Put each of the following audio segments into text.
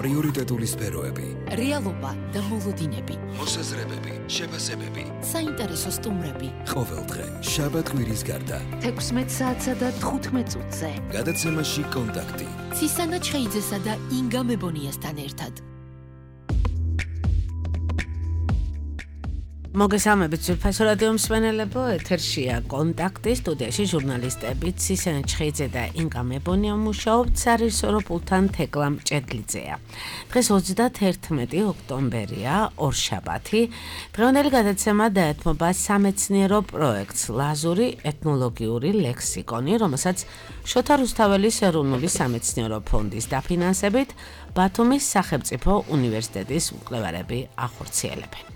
პრიორიტეტული სფეროები, რეალობა და მოლოდინები, მოსაზრებები, შეფასებები, საინტერესო სტუმრები. ყოველდღე, შაბათ-კვირის გარდა, 16 საათსა და 15 წუთზე. გადაცემაში კონტაქტი. ცისანა ჩხეიძესა და ინგა მებონიასთან ერთად. მოგესალმებით ძვირფასო რადიო მსმენელებო, ეთერშია კონტაქტი, სტუდიაში ჟურნალისტები ცისანა ჩხეიძე და ინგა მებონია მუშაობთ სარისორო პულთან თეკლამ ჭედლიძეა. დღეს 31 ოქტომბერია, ორშაბათი. დღევანდელი გადაცემა დაეთმობა სამეცნიერო პროექტს ლაზური ეთნოლოგიური ლექსიკონი, რომელსაც შოთა რუსთაველის ეროვნული სამეცნიერო ფონდის დაფინანსებით ბათუმის სახელმწიფო უნივერსიტეტის მკვლევარები ახორციელებენ.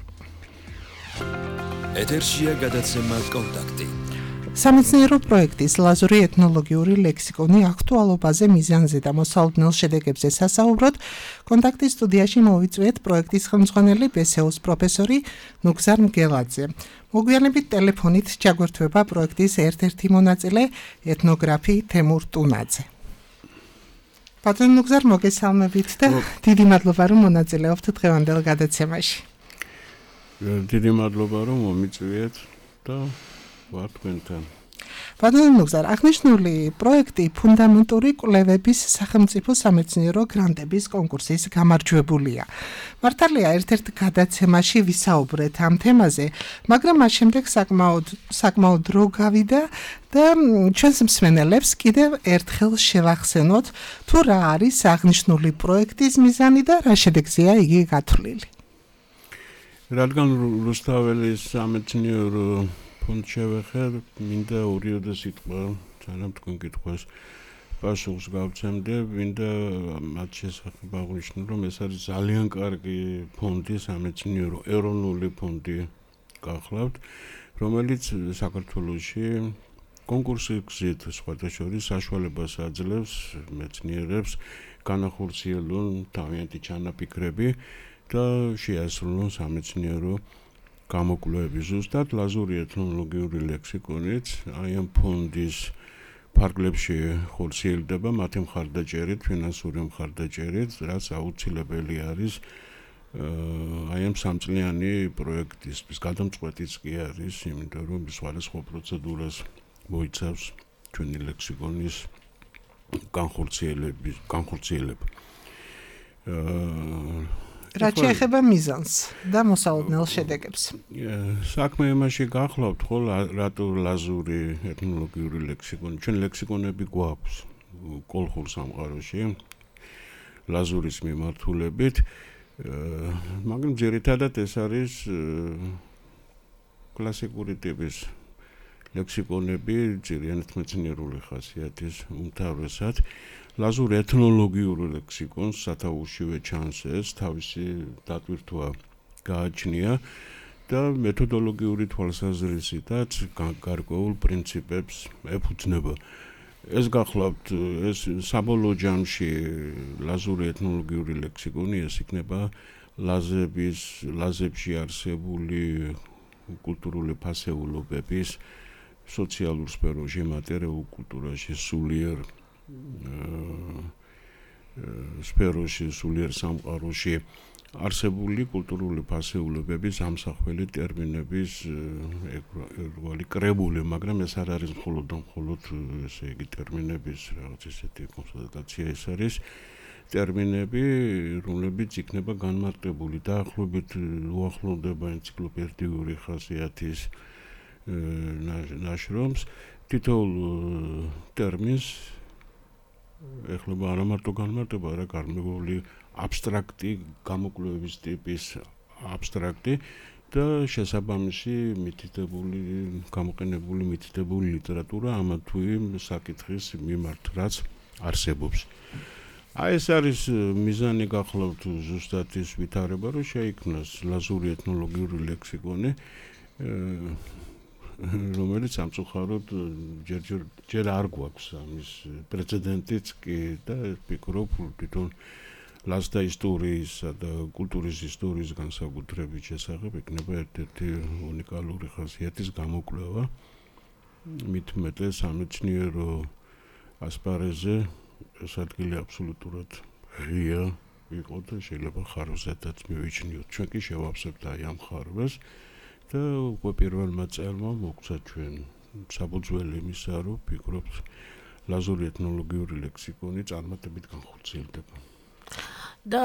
ეთერშია გადაცემა კონტაქტი. სამეცნიერო პროექტის ლაზური ეთნოლოგიური ლექსიკონი აქტუალობაზე, მიზანზე და მოსალოდნელ შედეგებზე სასაუბროდ კონტაქტის სტუდიაში მოვიწვიეთ პროექტის ხელმძღვანელი ბესეუს პროფესორი ნუგზარ მგელაძე. მოგვიანებით ტელეფონით ჩაგვერთვება პროექტის ერთ-ერთი მონაწილე ეთნოგრაფი თემურ ტუნაძე. პატრონ ნუგზარ, მოგესალმებით და დიდი მადლობა რომ მონაწილეობთ დღევანდელ გადაცემაში. დიდი მადლობა რომ მომიწვიეთ და ვარ თქვენთან. პატრონ ნუგზარ, აღნიშნული პროექტი ფუნდამენტური კვლევების სახელმწიფო სამეცნიერო გრანტების კონკურსის გამარჯვებულია. მართალია ერთ-ერთ გადაცემაში ვისაუბრეთ ამ თემაზე, მაგრამ მას შემდეგ საკმაოდ დრო გავიდა და ჩვენს მსმენელებს კიდევ ერთხელ შევახსენოთ თუ რა არის აღნიშნული პროექტის მიზანი და რა შედეგზეა იგი გათვლილი. რადგან რუსთაველის სამეცნიერო ფონდს შევეხებ, მინდა ორიოდე სიტყვა ძალიან თქვენ კითხვას პასუხს გავცემდე, მინდა მათ შესახებ აღვნიშნო, რომ ეს არის ძალიან კარგი ფონდი, სამეცნიერო ეროვნული ფონდი გახლავთ, რომელიც საქართველოში კონკურსის გზით სხვათა შორის საშუალებას აძლევს მეცნიერებს განახორციელონ თავიანთი ჩანაფიქრები და შეასრულონ სამეცნიერო გამოკვლევები. ზუსტად ლაზური ეთნოლოგიური ლექსიკონიც აი ამ ფონდის ფარგლებში ხორციელდება მათი მხარდაჭერით, ფინანსური მხარდაჭერით, რაც აუცილებელი არის აი ამ სამწლიანი პროექტისთვის. გადამწყვეტიც კი არის, იმიტომ რომ სხვადასხვა პროცედურას მოიცავს ჩვენი ლექსიკონის განხორციელება. რაც შეეხება მიზანს და მოსალოდნელ შედეგებს. საქმე იმაში გახლავთ, ხო, რატო ლაზური ეთნოლოგიური ლექსიკონი. ჩვენ ლექსიკონები გვაქვს კოლხურ სამყაროში ლაზურის მიმართულებით, მაგრამ ძირითადად ეს არის კლასიკური ტიპის ლექსიკონები, ძირიანად მეცნიერული ხასიათის უმთავრესად. ლაზური ეთნოლოგიური ლექსიკონს სათავეშივე ჩანს ეს თავისი დატვირთვა გააჩნია და მეთოდოლოგიური თვალსაზრისითაც გარკვეულ პრინციპებს ეფუძნება. ეს გახლავთ, ეს საბოლოო ჯამში ლაზური ეთნოლოგიური ლექსიკონი ეს იქნება ლაზებში არსებული კულტურული ფასეულობების სოციალურ სფეროში, მატერიალურ კულტურაში, სულიერ სფეროში, სულიერ სამყაროში არსებული კულტურული ფასეულობების ამსახველი ტერმინების ერგვალი კრებული, მაგრამ ეს არ არის მხოლოდ ესე იგი ტერმინების რაღაც ესეთი კონსოლიდაცია, ეს არის ტერმინები, რომლებიც იქნება განმარტებული დაახლოებით უახლოვდება ენციკლოპედიური ხასიათის ნაშრომს. თითოეულ ტერმინს ეხლება არა მარტო განმარტება, არა გარკვეული აბსტრაქტი გამოკვლევების ტიპის აბსტრაქტი და შესაბამისი მითითებული, გამოყენებული მითითებული ლიტერატურა ამა თუ იმ საკითხის მიმართ, რაც არსებობს. აი ეს არის მიზანი გახლავთ ზუსტად ის ვითარება, რომ შეიქმნას ლაზური ეთნოლოგიური ლექსიკონი, რომელიც სამწუხაროდ ჯერ არ გვაქვს ამის პრეცედენტიც კი და ვფიქრობ თვითონ ლაზთა ისტორიისა და კულტურის ისტორიის განსაკუთრებით შესახებ იქნება ერთ-ერთი უნიკალური ხასიათის გამოკვლევა. მით მეტეს სამეცნიერო ასპარეზზე ეს ადგილი აბსოლუტურად ღია იყო და შეიძლება ხარვზედაც მივიჩნიოთ. ჩვენ კი შევავსებთ აი ამ ხარვას და უკვე პირველმა წელმა მოგცა ჩვენ საფუძველი იმისა, რომ ვფიქრობთ ლაზური ეთნოლოგიური ლექსიკონი წარმატებით განხორციელდება. და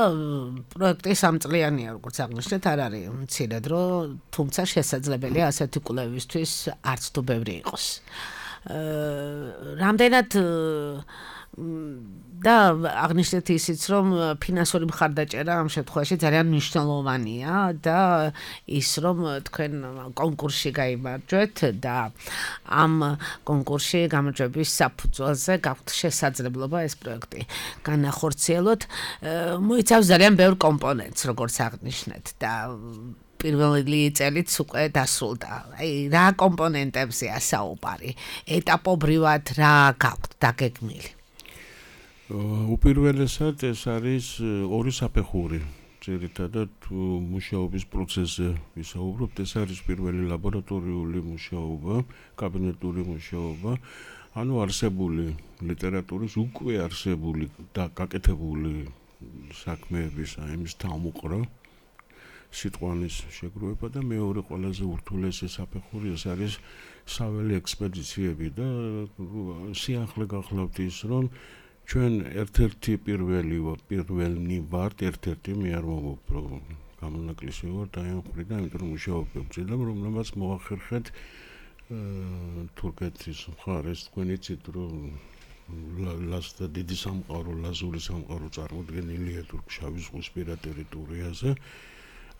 პროექტი სამწლიანია, როგორც აღნიშნეთ, არ არის მცირე დრო, თუმცა შესაძლებელია ასეთი კვლევისთვის არც თუ ბევრი იყოს. რამდენად და აღნიშნეთ ისიც, რომ ფინანსური მხარდაჭერა ამ შემთხვევაში ძალიან მნიშვნელოვანია და ის რომ თქვენ კონკურსში გაიმარჯვეთ და ამ კონკურსში გამარჯვების საფუძველზე გაქვთ შესაძლებლობა ეს პროექტი განახორციელოთ. მოიცავს ძალიან ბევრ კომპონენტს, როგორც აღნიშნეთ და პირველი წელიც უკვე დასრულდა. აი რა კომპონენტებზეა საუბარი? ეტაპობრივად რა გაქვთ დაგეგმილი? უპირველესად ეს არის ორი საფეხური. ძირითადად მუშაობის პროცესზე ვისაუბრობთ. ეს არის პირველი ლაბორატორიული მუშაობა, კაბინეტური მუშაობა, ანუ არსებული ლიტერატურის უკვე არსებული და გაკეთებული საქმეების ამის თავმოყრა, სიტყვანის შეგროვება და მეორე ყველაზე ურთულესი საფეხური ეს არის საველე ექსპედიციები და სიახლე გახლავთ ის რომ ჩვენ ერთ-ერთი პირველი ვართ, ერთ-ერთი მე არ მოგობ რომ გამონაკლისი ვარ და ამ ხრიდან, იმიტომ რომ მუშაობ ვწირდა, რომელმაც მოახერხეთ თურქეთის მხარეს თქვენ იცით რომ ლასტა დიდი სამყარო, ლაზური სამყარო წარმოდგენილია თურქ-შავი ზღვისპირა ტერიტორიაზე.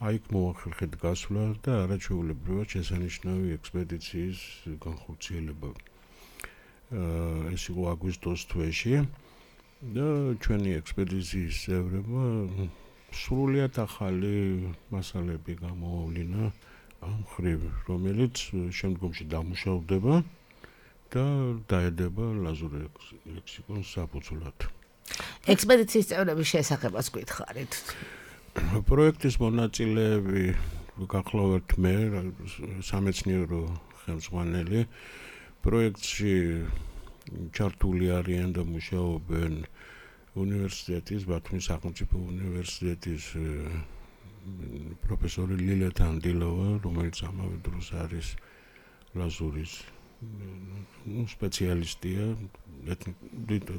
აიქ მოახერხეთ გასვლა და არაჩვეულებრივად შესანიშნავი ექსპედიციის განხორციელება. ეს იყო აგვისტოს თვეში და ჩვენი ექსპედიციის წევრებმა სრულიად ახალი მასალები გამოავლინა ამ ხრივ, რომელიც შემდგომში დამუშავდება და დაედება ლაზური ლექსიკონის საფუძვლად. ექსპედიციის წევრების შესახებაც გითხარით. პროექტის მონაწილეები გახლავთ მე, სამეცნიერო ხელმძღვანელი. პროექტში ჩართული არიან და მუშაობენ უნივერსიტეტის, ბათუმის სახელმწიფო უნივერსიტეტის პროფესორი ლილა თანდილოვა, რომელიც ამავე დროს არის ლაზურის სპეციალისტია,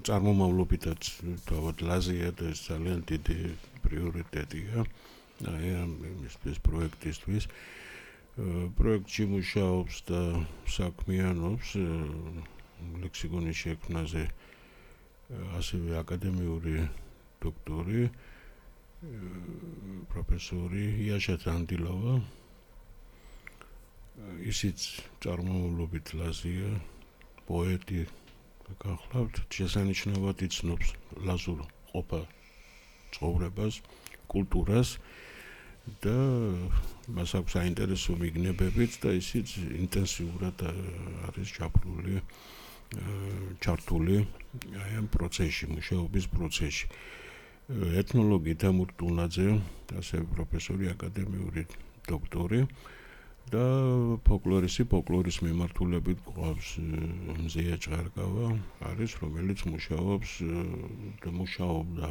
წარმომავლობითაც თავად ლაზია და ეს ძალიან დიდი პრიორიტეტია აი ეს პროექტისთვის. პროექტში მუშაობს და საქმიანობს ლექსიკონის შექმნაზე ასევე აკადემიური დოქტორი პროფესორი იაშა თანდილოვა. ისიც წარმომავლობით ლაზია, პოეტი გახლავთ, შესანიშნავად იცნობს ლაზურ ყოფა ცხოვრებას, კულტურას და მას აქვს საინტერესო მიგნებებიც და ისიც ინტენსიურად არის ჩართული აი ამ პროცესში, მუშაობის პროცესში. ეთნოლოგი თემურ ტუნაძე, ასევე პროფესორი, აკადემიური დოქტორი და ფოლკლორის მიმართულებით გვყავს მზია ჭღარგავა, არის რომელიც მუშაობს და მუშაობდა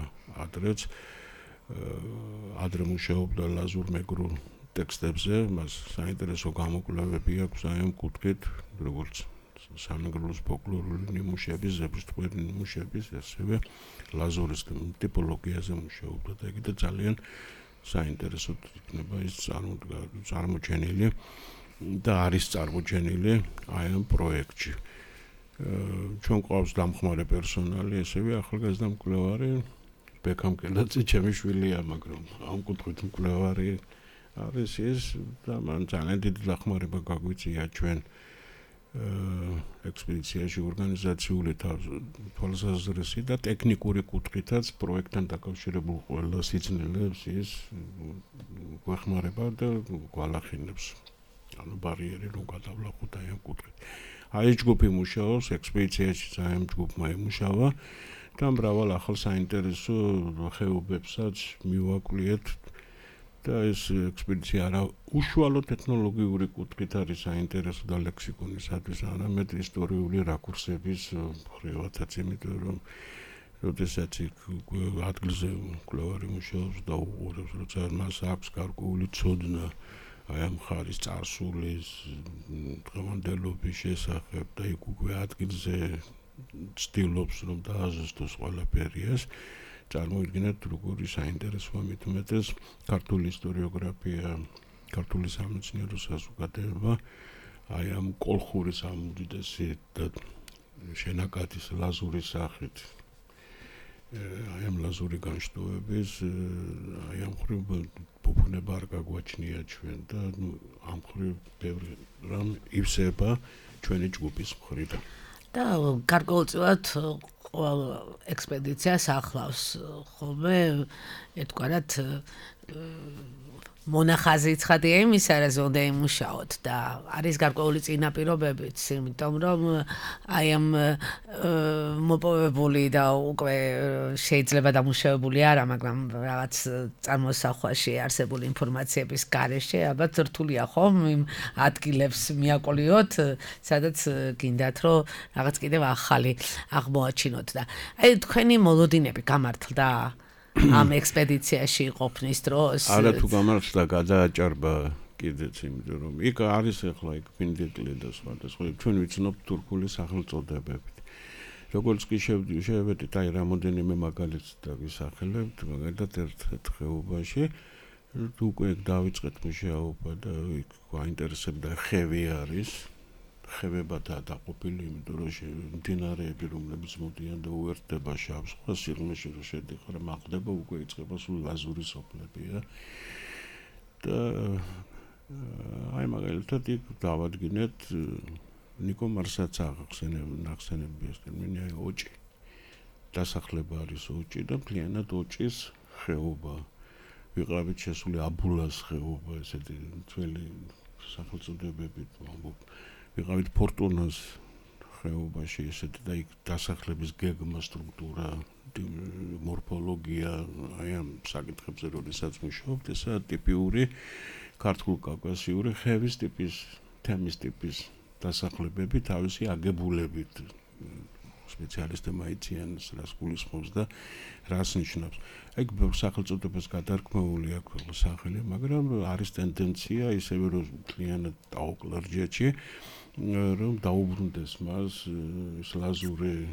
ადრე მუშაობდა ლაზურ მეგრულ ტექსტებზე, მას საინტერესო გამოკვლევები აქვს აი ამ კუთხით, როგორც სამეგრელოს ფოლკლორული ნიმუშების, ზებრთხვერის ნიმუშების, ასევე ლაზურის ტიპოლოგიაზე მუშაობდა და იგი და ძალიან საინტერესო იქნება ის წარმოჩენილი და არის წარმოჩენილი აი ამ პროექტში. ჩვენ გვყავს დამხმარე პერსონალი, ასევე ახალგაზრდა მკვლევარი ბექამ კელაძე ჩემი შვილია, მაგრამ ამ კუთხით მკვლევარი არის ის და მან ძალიან დიდი დახმარება გაგვიწია ჩვენ ექსპედიციაში ორგანიზაციული თვალსაზრისი და ტექნიკური კუთხითაც პროექტთან დაკავშირებულ ყველა სიძნელებს ის გვეხმარება და გვალახინებს. ანუ ბარიერი რომ გადავლახოთ აი ამ კუთხით. აი ჯგუფი მუშაობს, ექსპედიციაში ძალიან ჯგუფმა იმუშავა და მრავალ ახალ საინტერესო ხეობებსაც მივაკვლიეთ და ეს ექსპედიცია არა უშუალოდ ეთნოლოგიური კუთხით არის საინტერესო და ლექსიკონისათვის, არამედ ისტორიული რაკურსების მხრივადაც, იმიტომ რომ როდესაც ადგილზე მკვლევარი მუშაობს და უყურებს, როცა მას აქვს გარკვეული ცოდნა აი ამ ხარის წარსულის დღევანდელობის შესახებ და იქ უკვე ადგილზე ცდილობს რომ დააზუსტოს ყველაფერიას, წარმოიდგინეთ როგორი საინტერესოა მით უმეტეს ქართული ისტორიოგრაფია, ქართული სამეცნიერო საზოგადოება აი ამ კოლხურის ამ უდიდესი და შენაკადის ლაზურის სახით აი ამ ლაზური განშტოების აი ამ ხრივ ფუფუნება არ გაგვაჩნია ჩვენ და ამ ხრივ ბევრი რამ ივსება ჩვენი ჯგუფის მხრიდან. და გარკვეულწილად ყოველ ექსპედიციას ახლავს ხოლმე ერთგვარად მონახაზი ცხადია იმისა, რა ზონდა იმუშაოთ და არის გარკვეული წინაპირობებიც, იმიტომ რომ აი ამ მოპოვებული და უკვე შეიძლება დამუშავებული არა, მაგრამ რაღაც წარმოსახვაში არსებული ინფორმაციების გარეშე ალბათ რთულია ხომ იმ ადგილებს მიაკოლიოთ, სადაც გინდათ რომ რაღაც კიდევ ახალი აღმოაჩინოთ და აი თქვენი მოლოდინები გამართლდა ამ ექსპედიციაში ყოფნის დროს არა თუ გამართლდა გადააჭარბა კიდეც იმიტომ რომ იქ არის ახლა იქ ფინდეკლი და სხვა ჩვენ ვიცნობთ თურქული სახელწოდებებით როგორც კი შევედით აი რამოდენიმე მაგალითს და ვისახელებთ მაგალითად ერთ ხეობაში უკვე დავიწყეთ მუშაობა და იქ გვაინტერესებდა ხევი არის ხევებათა დაყოფილი, იმიტომ რომ მდინარეები, რომლებიც მოდიან და უერთდება შავ ზღვას, სიღრმეში რომ შედიხარ, მაღლდება, უკვე იწყება სულ ლაზური სოფლებია. და აი მაგალითად იქ დავადგინეთ ნიკო მარსაც ახსენებია ტერმინი აი ოჭი. დასახლება არის ოჭი და მთლიანად ოჭის ხეობა. ვიყავით შესული აბულას ხეობა, ესეთი ძველი სახელწოდებებით ვამბობ. ვიყავით ფორტუნას ხეობაში ესეთი და იქ დასახლების გეგმა, სტრუქტურა, მორფოლოგია, აი ამ საკითხებზე როდესაც მუშაობთ, ესაა ტიპიური ქართულ-კავკასიური ხევის ტიპის, თემის ტიპის დასახლებები თავისი აგებულებით. სპეციალისტებმა იციან რას გულისხმობს და რას ნიშნავს. აი სახელწოდებას გადარქმეული აქვს სახელი, მაგრამ არის ტენდენცია ისევე რომ მთლიანად დაუკლარჯეთში რომ დაუბრუნდეს მას ეს ლაზური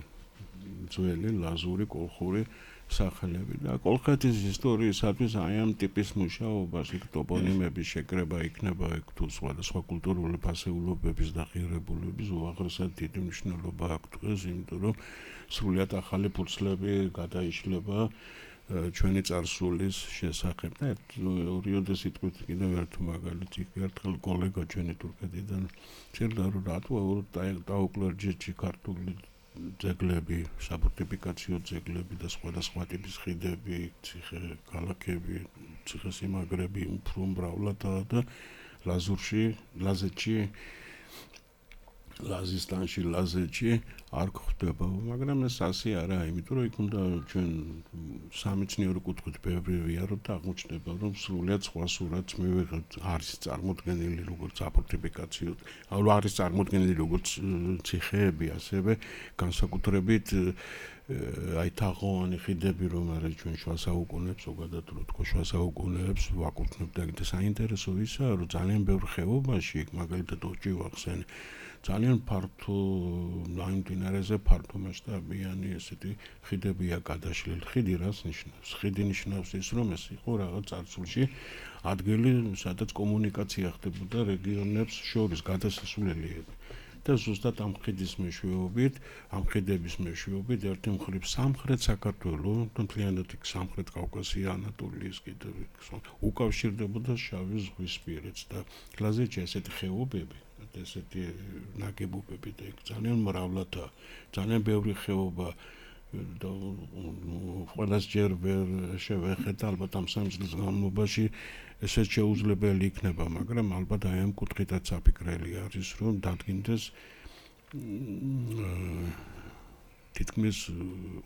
ძველი ლაზური კოლხური სახელები და კოლხეთის ისტორიისათვის აი ამ ტიპის მუშაობას იქ ტოპონიმების შეკრება იქნება იქ თუ სხვადასხვა კულტურული ფასეულობების დახირებულების უაღრესად დიდი მნიშვნელობა აქვს დღეს, იმიტომ რომ სრულიად ახალი ფურცლები გადაიშლება ჩვენი წარსულის შესახებ და ორიოდე სიტყვით კიდევ ერთ მაგალითი ერთხელ კოლეგა ჩვენი თურქეთიდან წერდა რომ რატო დაუკლარჯეთში ქართული ძეგლები, საფორტიფიკაციო ძეგლები და სხვადასხვა ტიპის ხიდები, ციხე ქალაქები, ციხესიმაგრები უფრო მრავლადაა და ლაზურში, ლაზეთში, ლაზისტანში, ლაზეთში არ გვხვდება, მაგრამ ეს ასე არაა, იმიტომ რომ იქ უნდა ჩვენ სამეცნიერო კუთხით ბევრი ვიაროთ და აღმოჩნდება, რომ სრულიად სხვა სურათს მივიღებთ, არის წარმოდგენილი როგორც საფორტიფიკაციო, არის წარმოდგენილი როგორც ციხეები, ასევე განსაკუთრებით აი თაღოვანი ხიდები, რომ არის ჩვენ შუა საუკუნეებს, ზოგადად რო თქო შუა საუკუნეებს ვაკურთხებთ და კიდე საინტერესო ისაა, რომ ძალიან ბევრ ხეობაში, მაგალითად ოჭი ვახსენე ძალიან ფართო მდინარეზე ფართო მასშტაბიანი ესეთი ხიდებია გადაშლილი. ხიდი რას ნიშნავს? ხიდი ნიშნავს ის, რომ ეს იყო რაღაც წარსულში ადგილი, სადაც კომუნიკაცია ხდებოდა რეგიონებს შორის გადასასვლელიები. და ზუსტად ამ ხიდის მეშვეობით, ამ ხიდების მეშვეობით ერთი მხრივ სამხრეთ საქართველოს, მთლიანად იქ სამხრეთ კავკასია, ანატოლიის კიდევ უკავშირდებოდა შავი ზღვისპირეთს და ლაზეთში ესეთი ხეობები ესეთი ნაგებობები და იქ ძალიან მრავლადაა, ძალიან ბევრი ხეობა და ყველას ჯერ ვერ შევეხეთ, ალბათ ამ 3 წლის განმავლობაში ესეც შეუძლებელი იქნება, მაგრამ ალბათ აი ამ კუთხითაც საფიქრელი არის, რომ დადგინდეს თითქმის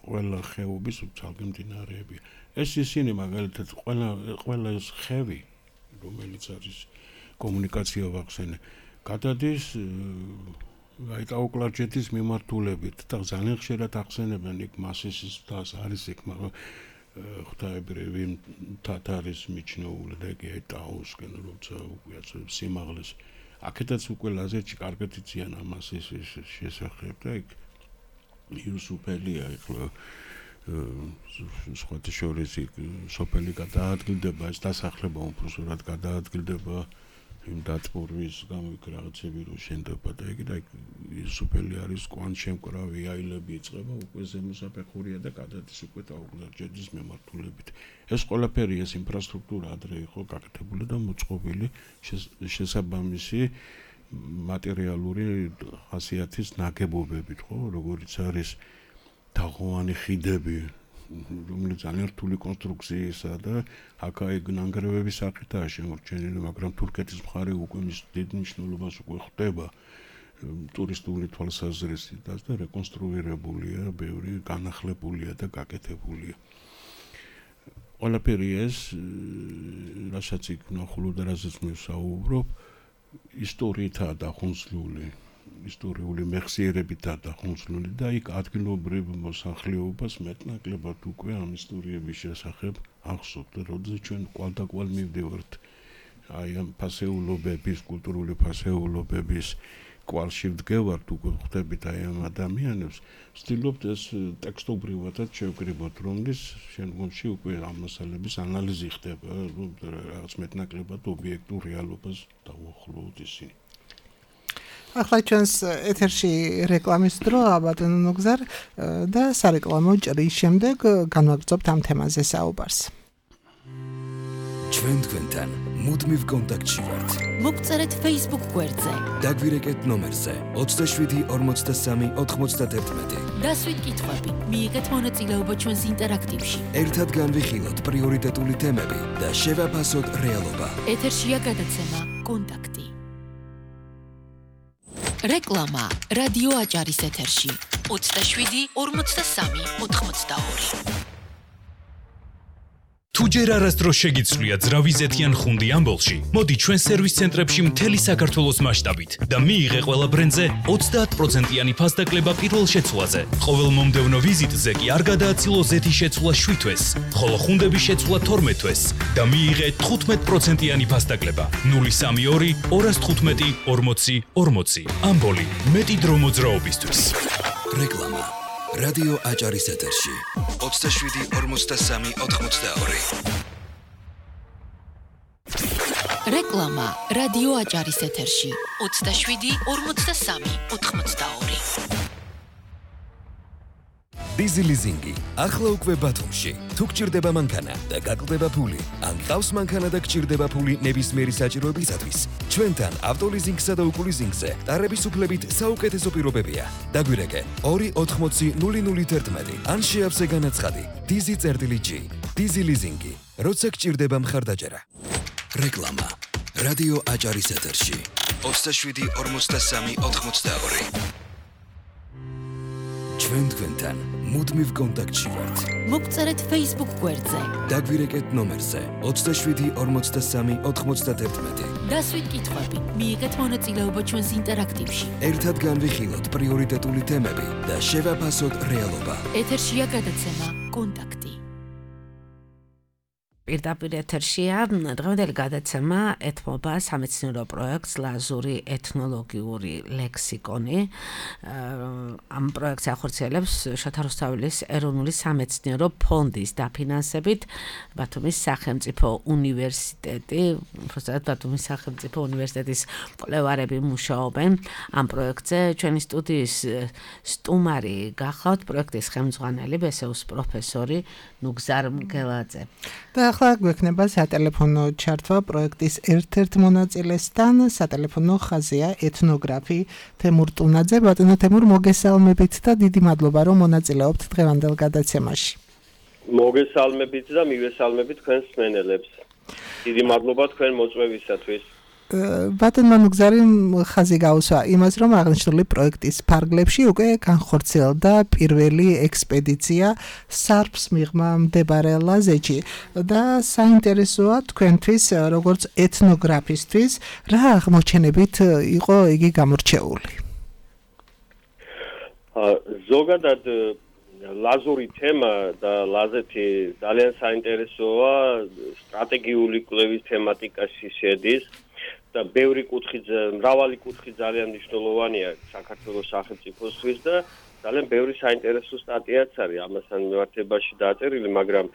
ყველა ხეობის ცალკე მდინარეები. ეს ისინი მაგალითად ყველა ეს ხევი, რომელიც არის კომუნიკაცია ვახსენე, გადადის აი ტაუკლარჯეთის მიმართულებით და ძალიან ხშირად ახსენებენ იქ მასისის მთას არის იქ მაგრამ ღვთაებრივი თათარის მიჩნეული და კი ტაუსკენ როცა უკვე სიმაღლეს აქედაც უკვე ლაზეთში კარგად იციან ამას ის შესახებ და იქ იუსუფელია ეხლა სხვათა შორის იქ სოფელი გადაადგილდება ეს დასახლება უბრალოდ გადაადგილდება იმ დაწმურვის გამო იქ რაღაცები რო შენდება და იქ იუსუფელი არის კვანშემკრავი აილები იწყება უკვე ზემოსაფეხურია და გადადის უკვე ტაუკლარჯეთის მიმართულებით ეს ყველაფერი ეს ინფრასტრუქტურა ადრე იყო გაკეთებული და მოწყობილი შესაბამისი მატერიალური ხასიათის ნაგებობებით ხო როგორიც არის თაღოვანი ხიდები რომელიც ძალიან რთული კონსტრუქციისა და აქ ნანგრევების სახითაა შემორჩენილი, მაგრამ თურქეთის მხარე უკვე მის დიდ მნიშვნელობას უკვე ხვდება ტურისტული თვალსაზრისითაც და რეკონსტრუირებულია, ბევრი განახლებულია და გაკეთებულია. ყველაფერი ეს, რასაც იქ ნახულობ და რასაც მე ვსაუბრობ, ისტორიითაა დახუნცლული. ისტორიული მეხსიერებითაა დახუნცლული და იქ ადგილობრივ მოსახლეობას მეტნაკლებად უკვე ამ ისტორიების შესახებ ახსოვთ და როდესაც ჩვენ კვალდაკვალ მივდივართ აი ამ ფასეულობების, კულტურული ფასეულობების კვალში ვდგევართ უკვე ხვდებით აი ამ ადამიანებს ვცდილობთ ეს ტექსტობრივადაც შევკრიბოთ რომლის შემდგომში უკვე ამ მასალების ანალიზი ხდება რაღაც მეტნაკლებად ობიექტურ რეალობას დავუახლოვთ ისინი ახლა ჩვენს ეთერში რეკლამის დრო ბატონო ნუგზარ და სარეკლამო ჭრის შემდეგ განვაგრძობთ ამ თემაზე საუბარს. ჩვენ თქვენთან მუდმივ კონტაქტში ვართ. მოგწერეთ Facebook გვერდზე. დაგვირეკეთ ნომერზე 27 43 91. დასვით კითხვები, მიიღეთ მონაწილეობა ჩვენს ინტერაქტივში. ერთად განვიხილოთ პრიორიტეტული თემები და შევაფასოთ რეალობა. ეთერშია გადაცემა კონტაქტი. რეკლამა რადიო აჭარის ეთერში 27 43 82. თუ ჯერ არასდროს შეგიცვლია ძრავიზეთიან ხუნდი ამბოლში, მოდი ჩვენ სერვის ცენტრებში მთელი საქართველოს მასშტაბით და მიიღე ყველა ბრენდზე 30%-იანი ფასდაკლება პირველ შეცვლაზე. ყოველ მომდევნო ვიზიტზე კი არ გადააცილო ზეთის შეცვლა 7 თვეს, ხოლო ხუნდების შეცვლა 12 თვეს და მიიღე 15%-იანი ფასდაკლება. 032 215 40 40. ამბოლი, მეტი დრო მოძრაობისთვის. რეკლამა რადიო აჭარის ეთერში 27 43 82. რეკლამა რადიო აჭარის ეთერში 27 43 82. დიზი ლიზინგი ახლა უკვე ბათუმში. თუ გჭირდება მანქანა და გაკლდება ფული, ან ყავს მანქანა და გჭირდება ფული ნებისმიერი საჭიროებისათვის, ჩვენთან ავტოლიზინგსა და უკულიზინგზე ტარების უფლებით საუკეთესო პირობებია. დაგვირეკე 280 011 ან შეავსე განაცხადი DZ-G. დიზი ლიზინგი, როცა გჭირდება მხარდაჭერა. რეკლამა რადიო აჭარის ეთერში 27 43 82. ჩვენ თქვენთან მუდმივ კონტაქტში ვართ. მოგწერეთ Facebook გვერდზე. დაგვირეკეთ ნომერზე 27 43 91. დასვით კითხვები, მიიღეთ მონაწილეობა ჩვენს ინტერაქტივში. ერთად განვიხილოთ პრიორიტეტული თემები და შევაფასოთ რეალობა. ეთერშია გადაცემა კონტაქტი. პირდაპირ ეთერშია დღევანდელი გადაცემა ეთმობა სამეცნიერო პროექტს ლაზური ეთნოლოგიური ლექსიკონი. ამ პროექტს ახორციელებს შოთა რუსთაველის ეროვნული სამეცნიერო ფონდის დაფინანსებით ბათუმის სახელმწიფო უნივერსიტეტი, უბრალოდ ბათუმის სახელმწიფო უნივერსიტეტის მკვლევარები მუშაობენ ამ პროექტზე. ჩვენი სტუდიის სტუმარი გახავთ პროექტის ხელმძღვანელი ბესეუს პროფესორი ნუგზარ მგელაძე. და ახლა გვექნება სატელეფონო ჩართვა პროექტის ერთ-ერთ მონაწილესთან. სატელეფონო ხაზია ეთნოგრაფი თემურ ტუნაძე. ბატონო თემურ, მოგესალმებით და დიდი მადლობა რომ მონაწილეობთ დღევანდელ გადაცემაში. მოგესალმებით და მივესალმებით თქვენს მსმენელებს. დიდი მადლობა თქვენ მოწვევისათვის. ბატონო ნუგზარი ხაზი გაუსვა იმას, რომ აღნიშნული პროექტის ფარგლებში უკვე განხორციელდა პირველი ექსპედიცია სარფს მიღმა მდებარე ლაზეთში და საინტერესოა თქვენთვის როგორც ეთნოგრაფისტვის რა აღმოჩენებით იყო იგი გამორჩეული. ზოგადად ლაზური თემა და ლაზეთი ძალიან საინტერესოა, სტრატეგიული კვლევის თემატიკაში შედის და მრავალი კუთხი ძალიან მნიშვნელოვანია საქართველოს სახელმწიფოსთვის და ძალიან ბევრი საინტერესო სტატიაც არის ამასთან მიმართებაში დაწერილი, მაგრამ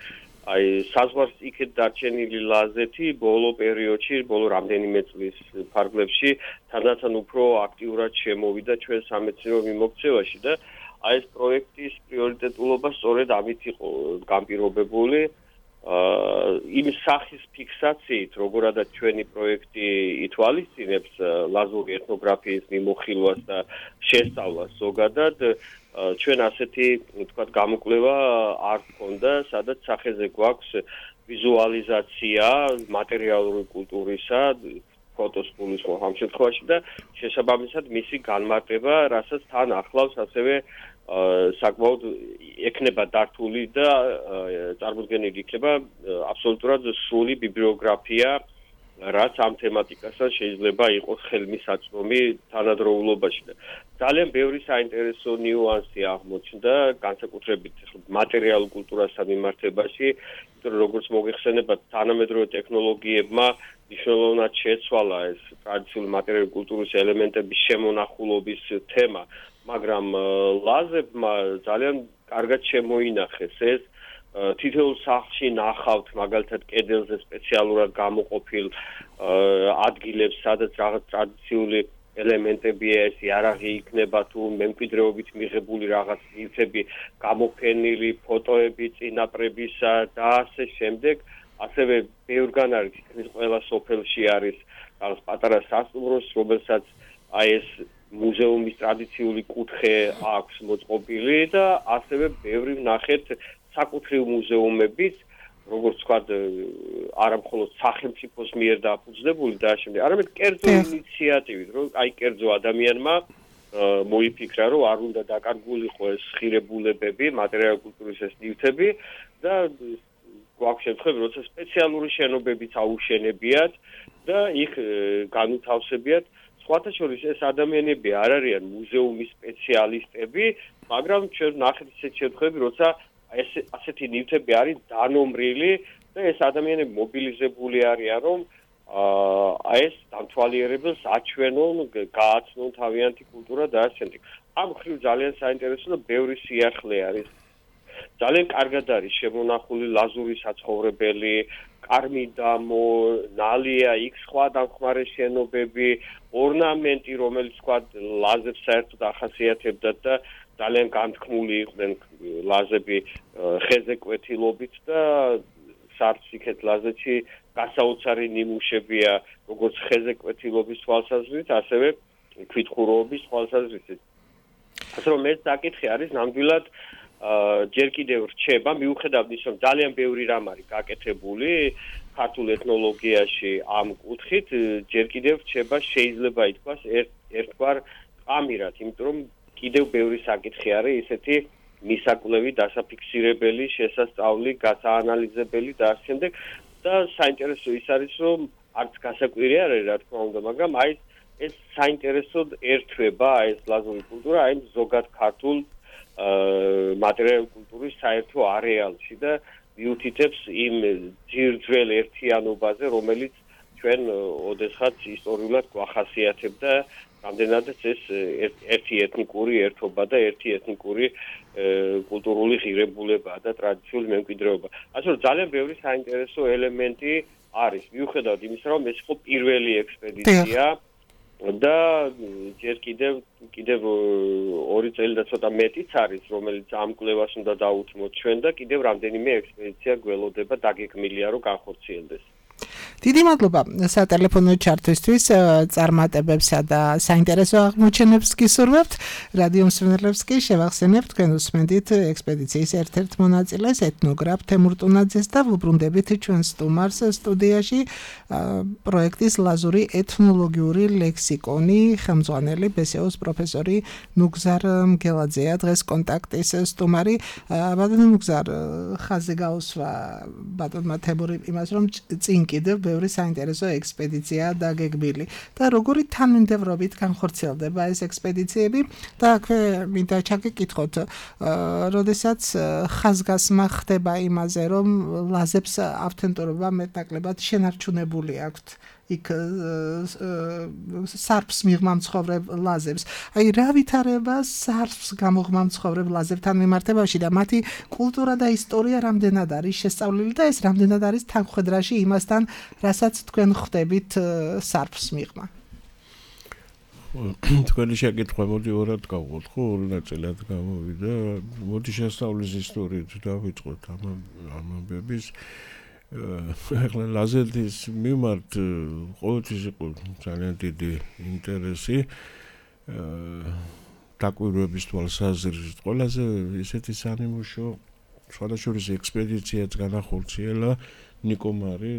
აი საზღვარს იქეთ დარჩენილი ლაზეთი ბოლო პერიოდში, ბოლო რამდენიმე წლის ფარგლებში თანდათან უფრო აქტიურად შემოვიდა ჩვენ სამეცნიერო მიმოქცევაში და აი ეს პროექტის პრიორიტეტულობა სწორედ ამით იყო განპირობებული. იმ სახის ფიქსაციით, როგორადაც ჩვენი პროექტი ითვალისწინებს ლაზური ეთნოგრაფიის მიმოხილვას და შესწავლას ზოგადად, ჩვენ ასეთი, თქვათ, გამოკვლევა არ გქონდა, სადაც სახეზე გვაქვს ვიზუალიზაცია მატერიალური კულტურისა, ფოტოს გულისხმობ ამ შემთხვევაში და შესაბამისად მისი განმარტება, რასაც თან ახლავს ასევე საკმაოდ ექნება დართული და წარმოდგენილი იქნება აბსოლუტურად სრული ბიბლიოგრაფია, რაც ამ თემატიკასთან შეიძლება იყოს ხელმისაწვდომი თანადროულობაში და ძალიან ბევრი საინტერესო ნიუანსი აღმოჩნდა, განსაკუთრებით მატერიალურ კულტურასთან მიმართებაში, იმიტომ რომ როგორც მოგეხსენებათ, თანამედროვე ტექნოლოგიებმა მნიშვნელოვნად შეცვალა ეს ტრადიციული მატერიალური კულტურის ელემენტების შემონახულობის თემა, მაგრამ ლაზებმა ძალიან კარგად შემოინახეს ეს თითოეულ სახლში ნახავთ მაგალითად კედელზე სპეციალურად გამოყოფილ ადგილებს, სადაც რაღაც ტრადიციული ელემენტებია, ეს იარაღი იქნება თუ მემკვიდრეობით მიღებული რაღაც ნივთები, გამოფენილი ფოტოები წინაპრებისა და ასე შემდეგ. ასევე ბევრგან არის თითქმის ყველა სოფელში არის რაღაც პატარა სასტუმროს, რომელსაც აი ეს მუზეუმის ტრადიციული კუთხე აქვს მოწყობილი და ასევე ბევრი ვნახეთ საკუთრივ მუზეუმებიც, როგორც ვთქვათ, არა მხოლოდ სახელმწიფოს მიერ დაფუძნებული და შემდეგ, არამედ კერძო ინიციატივით, რომ აი კერძო ადამიანმა მოიფიქრა, რომ არ უნდა დაკარგულიყო ეს ხირებულებები, მატერიალური კულტურის ეს ნივთები და გვაქვს შემთხვევები, როცა სპეციალური შენობებიც აუშენებიათ და იქ განუთავსებიათ. სხვათა შორის ეს ადამიანები არ არიან მუზეუმის სპეციალისტები, მაგრამ ჩვენ ვნახეთ ისეთ შემთხვევები, როცა ასეთი ნივთები არის დანომრილი და ეს ადამიანები მობილიზებული არიან, რომ ეს დამთვალიერებელს აჩვენონ, გააცნონ თავიანთი კულტურა და ასე შემდეგ. ამ მხრივ ძალიან საინტერესო და ბევრი სიახლე არის. ძალიან კარგად არის შემონახული ლაზური საცხოვრებელი, კარმიდამო, ნალია, იქ სხვა დამხმარე შენობები, ორნამენტი, რომელიც თქვა ლაზებს საერთოდ ახასიათებდა და ძალიან განთქმული იყვნენ ლაზები ხეზე კვეთილობით და სარციქეთ ლაზეთში გასაოცარი ნიმუშებია, როგორც ხეზე კვეთილობის თვალსაზრისით, ასევე თვითხურობის თვალსაზრისით. ასე რომ ეს საკითხი არის ნამდვილად ჯერ კიდევ რჩება, მიუხედავად ის, რომ ძალიან ბევრი რამ არის გაკეთებული ქართულ ეთნოლოგიაში ამ კუთხით, ჯერ კიდევ რჩება, შეიძლება ითქვას ერთგვარ ყამირად, იმიტომ რომ კიდევ ბევრი საკითხი არის ისეთი მისაკვლევი, დასაფიქსირებელი, შესასწავლი, გასაანალიზებელი და ასე შემდეგ და საინტერესო ის არის, რომ არც გასაკვირი არ არის, რა თქმა უნდა, მაგრამ აი ეს საინტერესოდ ერთვება ეს ლაზური კულტურა აი ზოგად ქართულ მატერიალური კულტურის საერთო არეალში და მიუთითებს იმ ძირძველ ერთიანობაზე, რომელიც ჩვენ ოდესღაც ისტორიულად გვახასიათებდა, რამდენადაც ეს ერთი ეთნიკური ერთობა და ერთი ეთნიკური კულტურული ღირებულებაა და ტრადიციული მემკვიდრეობა. ასე რომ ძალიან ბევრი საინტერესო ელემენტი არის, მიუხედავად იმისა, რომ ეს იყო პირველი ექსპედიცია და ჯერ კიდევ 2 წელი და ცოტა მეტიც არის, რომელიც ამ კვლევას უნდა დაუთმოთ ჩვენ და კიდევ რამდენიმე ექსპედიცია გველოდება დაგეკმილია, რომ განხორციელდეს. დიდი მადლობა სატელეფონო ჩართვისთვის, წარმატებებსა და საინტერესო აღმოჩენებს გისურვებთ. რადიო მსმენელებს კი შევახსენებთ, თქვენ უსმენთ ექსპედიციის ერთ-ერთ მონაწილეს, ეთნოგრაფ თემურ ტუნაძეს და ვუბრუნდებით ჩვენ სტუმარს სტუდიაში პროექტის ლაზური ეთნოლოგიური ლექსიკონი ხელმძღვანელი ბესეოს პროფესორი ნუგზარ მგელაძეა დღეს კონტაქტის სტუმარი. ბატონო ნუგზარ, ხაზზე გაუსვა ბატონმა თემური იმას, რომ წინ კიდევ ბევრი საინტერესო ექსპედიციაა დაგეგმილი და როგორი თანმიმდევრობით განხორციელდება ეს ექსპედიციები და აქვე მინდა ჩაგეკითხოთ, როდესაც ხაზგასმა ხდება იმაზე, რომ ლაზებს ავთენტურობა მეტნაკლებად შენარჩუნებული აქვთ იქ სარფს მიღმა მცხოვრებ ლაზებს. აი რა ვითარება სარფს გამოღმა მცხოვრებ ლაზებთან მიმართებაში და მათი კულტურა და ისტორია რამდენად არის შესწავლილი და ეს რამდენად არის თანხმდრაში იმასთან, რასაც თქვენ ხვდებით სარფს მიღმა. თქვენი შეკითხვა მოდი ორად გავყოთ, ხო, ორი ნაწილად გამოვიდა. მოდი შესწავლის ისტორიით დავიწყოთ ამ ამბების. ახლა ლაზეთის მიმართ ყოველთვის იყო ძალიან დიდი ინტერესი დაკვირვების თვალსაზრისით. ყველაზე ისეთი სანიმუშო სხვადასხვა ექსპედიციაც განახორციელა ნიკო მარი,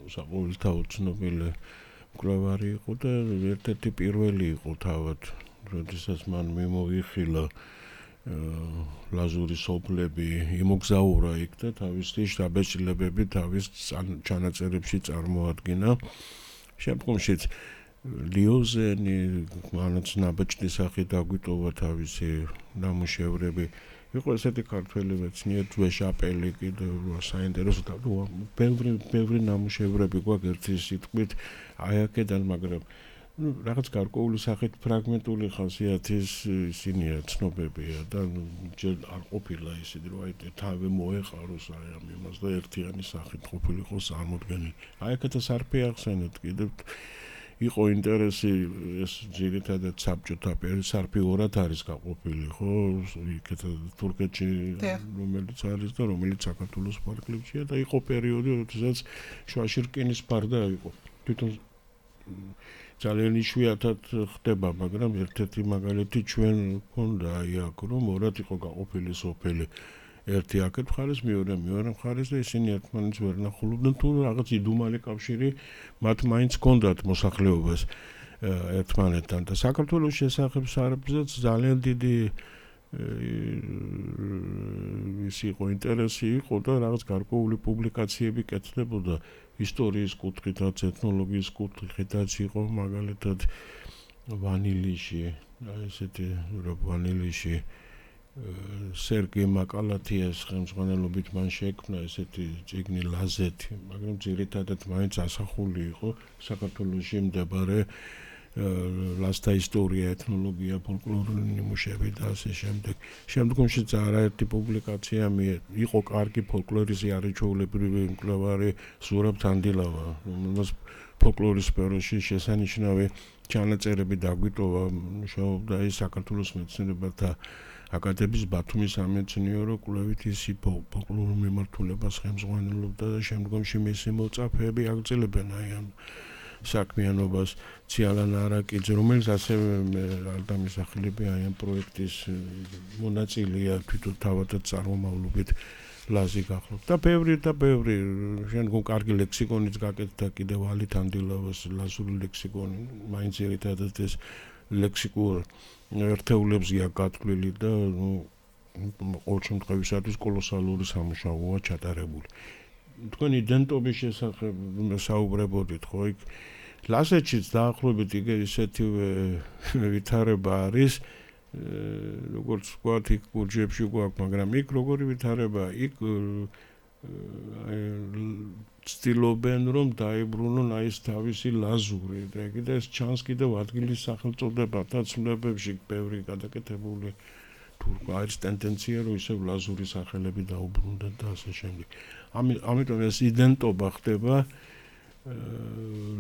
საყოველთაოდ ცნობილი მკვლევარი იყო და ერთ-ერთი პირველი იყო თავად, როდესაც მან მიმოიხილა ლაზურის სოფლები, იმოგზაურა იქ და თავისი შტაბ-ჭილებები თავის ჩანაწერებში წარმოადგინა. შემდგომშიც ლიოზენი, მანაც ნაბეჭდის სახით დაგვიტოვა თავისი ნამუშევრები. იყო ესეთი ქართველი მეცნიერი ჯვეშაპელი კიდევ საინტერესო და ბევრი ნამუშევრები გვაქვს ერთი სიტყვით აი აქედან, მაგრამ რაღაც გარკვეული სახით ფრაგმენტული ხასიათის ისინია ცნობებია და ჯერ არ ყოფილა ისეთი რომ აი თავი მოეყაროს აი ამ იმას და ერთიანი სახით ყოფილიყო წარმოდგენილი. აი აქეთა სარფი ახსენეთ კიდევ იყო ინტერესი ეს ძირითადად საბჭოთა პერიოდში სარფი ორად არის გაყოფილი, ხო? იქეთ თურქეთში რომელიც არის და რომელიც საქართველოს ფარგლებშია და იყო პერიოდი როდესაც შუაში რკინის ფარდა იყო. თვითონ ძალიან იშვიათად ხდება, მაგრამ ერთ-ერთი მაგალითი ჩვენ გქონდა აი აქ, რომ ორად იყო გაყოფილი სოფელი. ერთი აქეთ მხარეს, მეორე მხარეს და ისინი ერთმანეთს ვერ ნახულობდნენ, თუ რაღაც იდუმალი კავშირი მათ მაინც ჰქონდათ მოსახლეობას ერთმანეთთან და საქართველოს შესახებ სარფზეც ძალიან დიდი ის იყო ინტერესი იყო და რაღაც გარკვეული პუბლიკაციები კეთდებოდა ისტორიის კუთხითაც, ეთნოლოგიის კუთხითაც იყო მაგალითად ვანილიში, აი ესეთი ვანილიში სერგეი მაკალათიას ხელმძღვანელობით მან შექმნა ესეთი წიგნი ლაზეთი, მაგრამ ძირითადად მაინც ასახული იყო საქართველოში მდებარე ლაზთა ისტორია, ეთნოლოგია, ფოლკლორული ნიმუშები და ასე შემდეგ. შემდგომშიც არაერთი პუბლიკაცია იყო კარგი ფოლკლორისტი არაჩვეულებრივი მკვლევარი ზურაბ თანდილავა, რომელსაც ფოლკლორის სფეროში შესანიშნავი ჩანაწერები დაგვიტოვა, მუშაობდა ის საქართველოს მეცნიერებათა აკადემიის ბათუმის სამეცნიერო კვლევით ისი ფოლკლორულ მიმართულებას ხელმძღვანელობდა და შემდგომში მისი მოწაფეები აგრძელებენ აი ამ საქმიანობას. ციალან არაკიძე, რომელიც ასევე დამისახელები აი ამ პროექტის მონაწილეა, თვითონ თავადაც წარმომავლობით ლაზი გახლობ და ბევრი შემდგომ კარგი ლექსიკონიც გაკეთდა კიდევ ალი თანდილავას ლაზური ლექსიკონი, მაინც ერთადად ეს ლექსიკურ ერთეულებზია გათვლილი და ყოველ შემთხვევაში კოლოსალური სამუშაოა ჩატარებული. თქვენ იდენტობის შესახებ საუბრებოდით, ხო? იქ ლაზეთშიც დაახლოებით ისეთივე ვითარება არის, როგორც ვთქვათ, იქ გურჯებში გვაქვს, მაგრამ იქ როგორი ვითარება, იქ ცდილობენ რომ დაიბრუნონ აი ეს თავისი ლაზური და კიდე ეს ჩანს კიდევ ადგილის სახელწოდებათა ცნობებში ბევრი გადაკეთებული თუ არის ტენდენცია რომ ისევ ლაზური სახელები დაუბრუნდეთ და ასე შემდეგ. ამიტომ ეს იდენტობა ხდება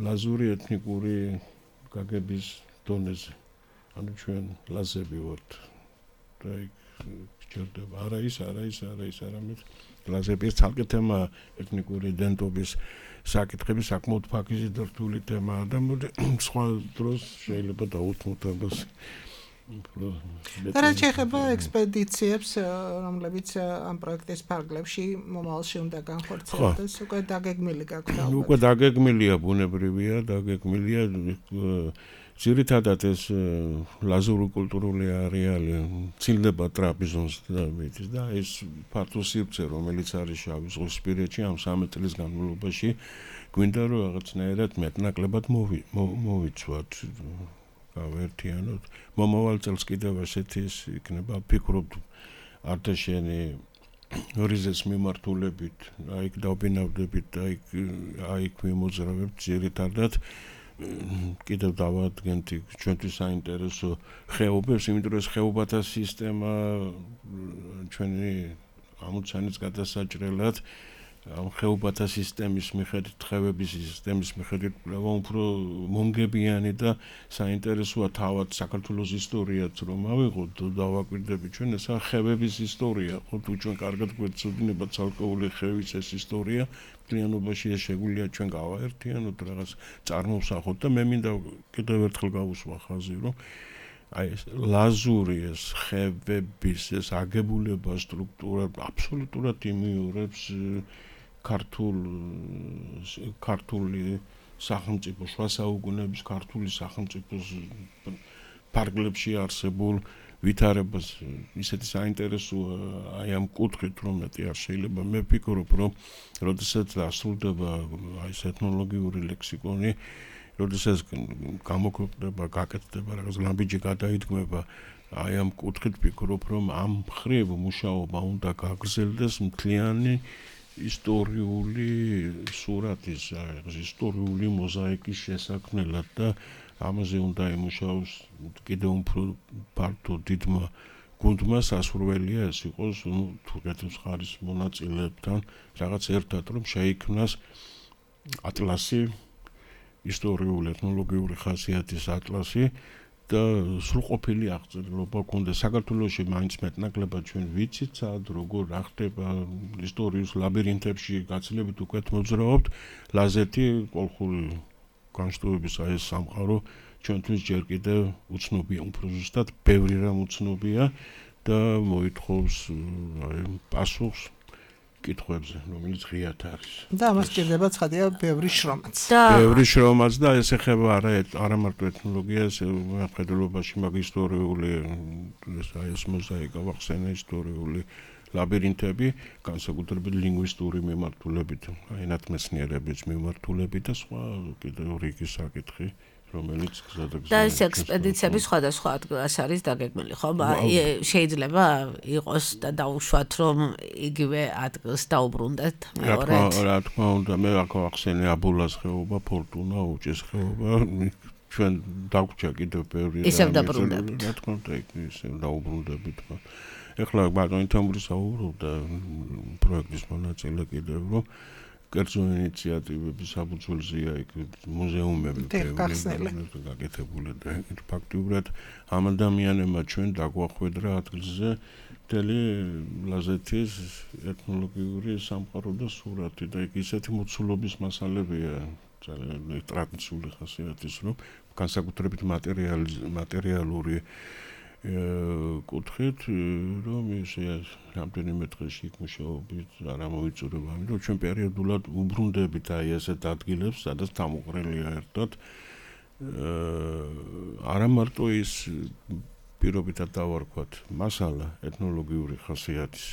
ლაზური ეთნიკური გაგების დონეზე. ანუ ჩვენ ლაზები ვართ და იქ გჭირდება არა ის არამედ ლაზების ცალკე თემა ეთნიკური იდენტობის საკითხები საკმაოდ ფაქიზი და რთული თემაა და სხვა დროს შეიძლება დაუთმოთ ამას და რაც შეეხება ექსპედიციებს, რომლებიც ამ პროექტის ფარგლებში მომავალში უნდა განხორციელდეს, უკვე დაგეგმილი გაქვთ? უკვე დაგეგმილია, ბუნებრივია, დაგეგმილია ძირითადად ეს ლაზური კულტურული არეალი ცილდება ტრაპიზონს და ეს ფართო სივრცე, რომელიც არის შავი ზღვისპირეთში ამ 13 წლის განმავლობაში, გვინდა რომ რაღაცნაირად მეტნაკლებად მოვიცვათ. გავერთიანოთ. მომავალ წელს კიდევ ასეთი ის იქნება, ვფიქრობ არტაშენი რიზეს მიმართულებით, აიქ დავბინავდებით, აიქ მიმოძრავებთ ძირითადად კიდევ დავადგენთ ჩვენთვის საინტერესო ხეობებს, იმიტომ რომ ეს ხეობათა სისტემა ჩვენი ამოცანის გადასაჭრელად ამ ხეობათა სისტემის მიხედვით, ხევების სისტემის მიხედვით უფრო მომგებიანი და საინტერესოა თავად საქართველოს ისტორიაც რომ ავიღოთ და დავაკვირდებით ჩვენ ეს ხევების ისტორია, ხო თუ ჩვენ კარგად გვეცოდინება ცალკეული ხევის ეს ისტორია, მთლიანობაში ეს შეგვიძლია ჩვენ გავაერთიანოთ, რაღაც წარმოვსახოთ და მე მინდა კიდევ ერთხელ გავუსვა ხაზი, რომ აი ეს ლაზური ეს ხევების ეს აგებულება სტრუქტურა აბსოლუტურად იმიორებს ქართული სახელმწიფო შუა საუკუნეების ქართული სახელმწიფოს ფარგლებში არსებულ ვითარებას ისეთი საინტერესოა აი ამ კუთხით რომ მეტი არ შეიძლება მე ვფიქრობ რომ როდესაც დასრულდება აი ეს ეთნოლოგიური ლექსიკონი როდესაც გამოქვეყნდება გაკეთდება რაღაც ლამბიჯი გადაიდგმება აი ამ კუთხით ვფიქრობ რომ ამ მხრივ მუშაობა უნდა გაგრძელდეს მთლიანი ისტორიული სურათის ისტორიული მოზაიკის შესაქმნელად და ამაზე უნდა იმუშაოს კიდევ უფრო ფართო დიდმა გუნდმა სასურველია ეს იყოს თურქეთის მხარის მონაწილეებთან რაღაც ერთად რომ შეიქმნას ატლასი ისტორიული ეთნოლოგიური ხასიათის ატლასი და სრულყოფილი აღწერილობა გქონდეს საქართველოში მაინც მეტნაკლებად ჩვენ ვიცით სად როგორ რა ხდება ისტორიის ლაბირინთებში გაცილებით უკეთ მოძრაობთ ლაზეთი კოლხური განშტოების აი ეს სამყარო ჩვენთვის ჯერ კიდევ უცნობია უფრო ზუსტად ბევრი რამ უცნობია და მოითხოვს აი პასუხს კითხვებზე, რომელიც ღიად არის. და მას ჭირდება ცხადია ბევრი შრომაც. ბევრი შრომაც და ეს ეხება არა მარტო ეთნოლოგიას, მხედველობაში მაგ ისტორიული ეს მოზაიკა ვახსენე ისტორიული ლაბირინთები, განსაკუთრებით ლინგვისტური მიმართულებით, აი ნათმეცნიერების მიმართულებით და სხვა კიდევ რიგი საკითხი. რომელიც გზადაგზა და ეს ექსპედიციები სხვადასხვა ადგილას არის დაგეგმილი, ხო? შეიძლება იყოს და დაუშვათ, რომ იგივე ადგილს დაუბრუნდეთ მეორედ. რა თქმა უნდა, მე აქ ახსენე აბულას ხეობა, ფორტუნა, უჭის ხეობა, ჩვენ დაგვრჩა კიდევ ბევრი რამე. ისევ დაბრუნდებთ. რა თქმა უნდა, ისევ დაუბრუნდებით. ეხლა ბატონი თამური საუბრობდა პროექტის მონაწილე კიდევ, რომ კერძო ინიციატივების საფუძველზეა იქ მუზეუმები გაკეთებული და ფაქტიურად ამ ადამიანებმა ჩვენ დაგვახვედრა ადგილზე მთელი ლაზეთის ეთნოლოგიური სამყარო და სურათი და იქ ისეთი მოცულობის მასალებია ძალიან ტრადიციული ხასიათის რომ განსაკუთრებით მატერიალური კუთხით რომ ისე რამდენიმე დღეში იქ მუშაობით არ ამოიწურება ამიტომ ჩვენ პერიოდულად უბრუნდებით აი ასეთ ადგილებს სადაც თამოყრილია ერთად არა მარტო ის პირობითად დავარქვათ მასალა ეთნოლოგიური ხასიათის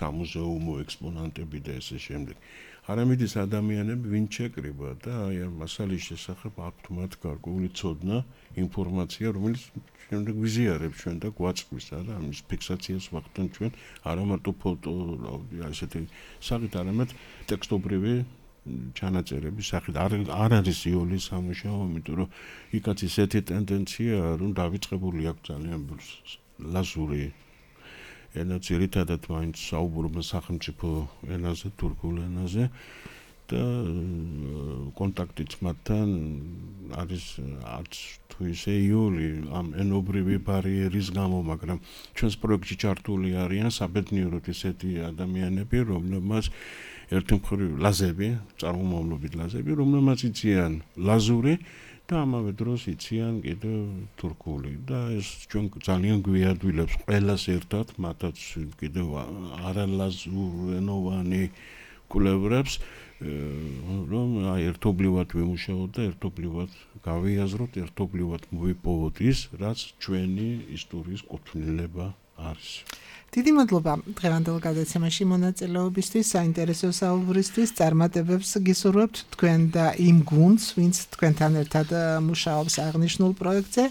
სამუზეუმო ექსპონანტები და ესე შემდეგ არამედ ის ადამიანები ვინ შეკრიბა და აი ამ მასალის შესახებ აქვთ მათ გარკვეული ცოდნა ინფორმაცია რომელიც შემდეგ ვიზიარებს ჩვენ და გვაწვის არა ამის ფიქსაციას ვახდენ ჩვენ არა მარტო ფოტო ასეთი სახით არამედ ტექსტობრივი ჩანაწერების სახით არ არის იოლის სამუშაო იმიტომ რომ იქაც ისეთი ტენდენციაა რომ დავიწყებული აქვს ძალიან ლაზური ენა ძირითადად მაინც საუბრობენ სახელმწიფო ენაზე, თურქულ ენაზე და კონტაქტიც მათთან არის არც თუ ისე იოლი ამ ენობრივი ბარიერის გამო, მაგრამ ჩვენს პროექტში ჩართული არიან საბედნიეროდ ისეთი ადამიანები, რომლებმაც ერთი მხრივ ლაზები, წარმომავლობით ლაზები, რომლებმაც იციან ლაზური და ამავე დროს იციან კიდევ თურქული და ეს ჩვენ ძალიან გვიადვილებს ყველას ერთად, მათაც კიდევ არალაზურენოვანი კვლევრებს, რომ ერთობლივად ვიმუშაოთ და ერთობლივად გავიაზროთ, ერთობლივად მოვიპოვოთ ის, რაც ჩვენი ისტორიის კუთვნილება არის. დიდი მადლობა დღევანდელ გადაცემაში მონაწილეობისთვის, საინტერესო საუბრისთვის, წარმატებებს გისურვებთ თქვენ და იმ გუნდს, ვინც თქვენთან ერთად მუშაობს აღნიშნულ პროექტზე.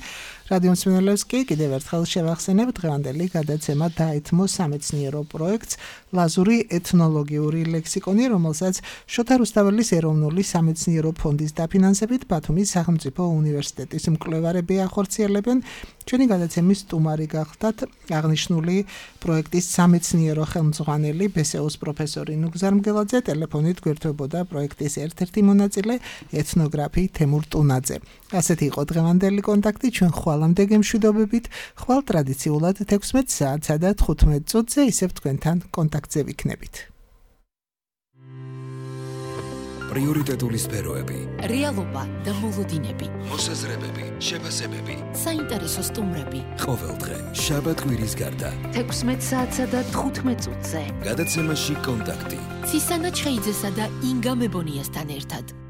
რადიო მსმენელებს კი კიდევ ერთხელ შევახსენებ დღევანდელი გადაცემა დაეთმო სამეცნიერო პროექტს ლაზური ეთნოლოგიური ლექსიკონი, რომელსაც შოთა რუსთაველის ეროვნული სამეცნიერო ფონდის დაფინანსებით ბათუმის სახელმწიფო უნივერსიტეტის მკვლევარები ახორციელებენ. ჩვენი გადაცემის სტუმარი გახლდათ აღნიშნული პროექტის სამეცნიერო ხელმძღვანელი ბესეუს პროფესორი ნუგზარ მგელაძე, ტელეფონით გვერდებოდა პროექტის ერთ-ერთი მონაწილე ეთნოგრაფი თემურ ტუნაძე. ასეთი იყო დღევანდელი კონტაქტი, ჩვენ ხვალამდე გემშვიდობებით, ხვალ ტრადიციულად 16 საათსა და 15 წუთზე ისევ თქვენთან კონტაქტზე ვიქნებით. პრიორიტეტული სფეროები, რეალობა და მოლოდინები, მოსაზრებები, შეფასებები, საინტერესო სტუმრები. ყოველდღე შაბათ-კვირის გარდა 16 საათსა და 15 წუთზე. გადაცემაში კონტაქტი. ცისანა ჩხეიძესა და ინგა მებონიასთან ერთად.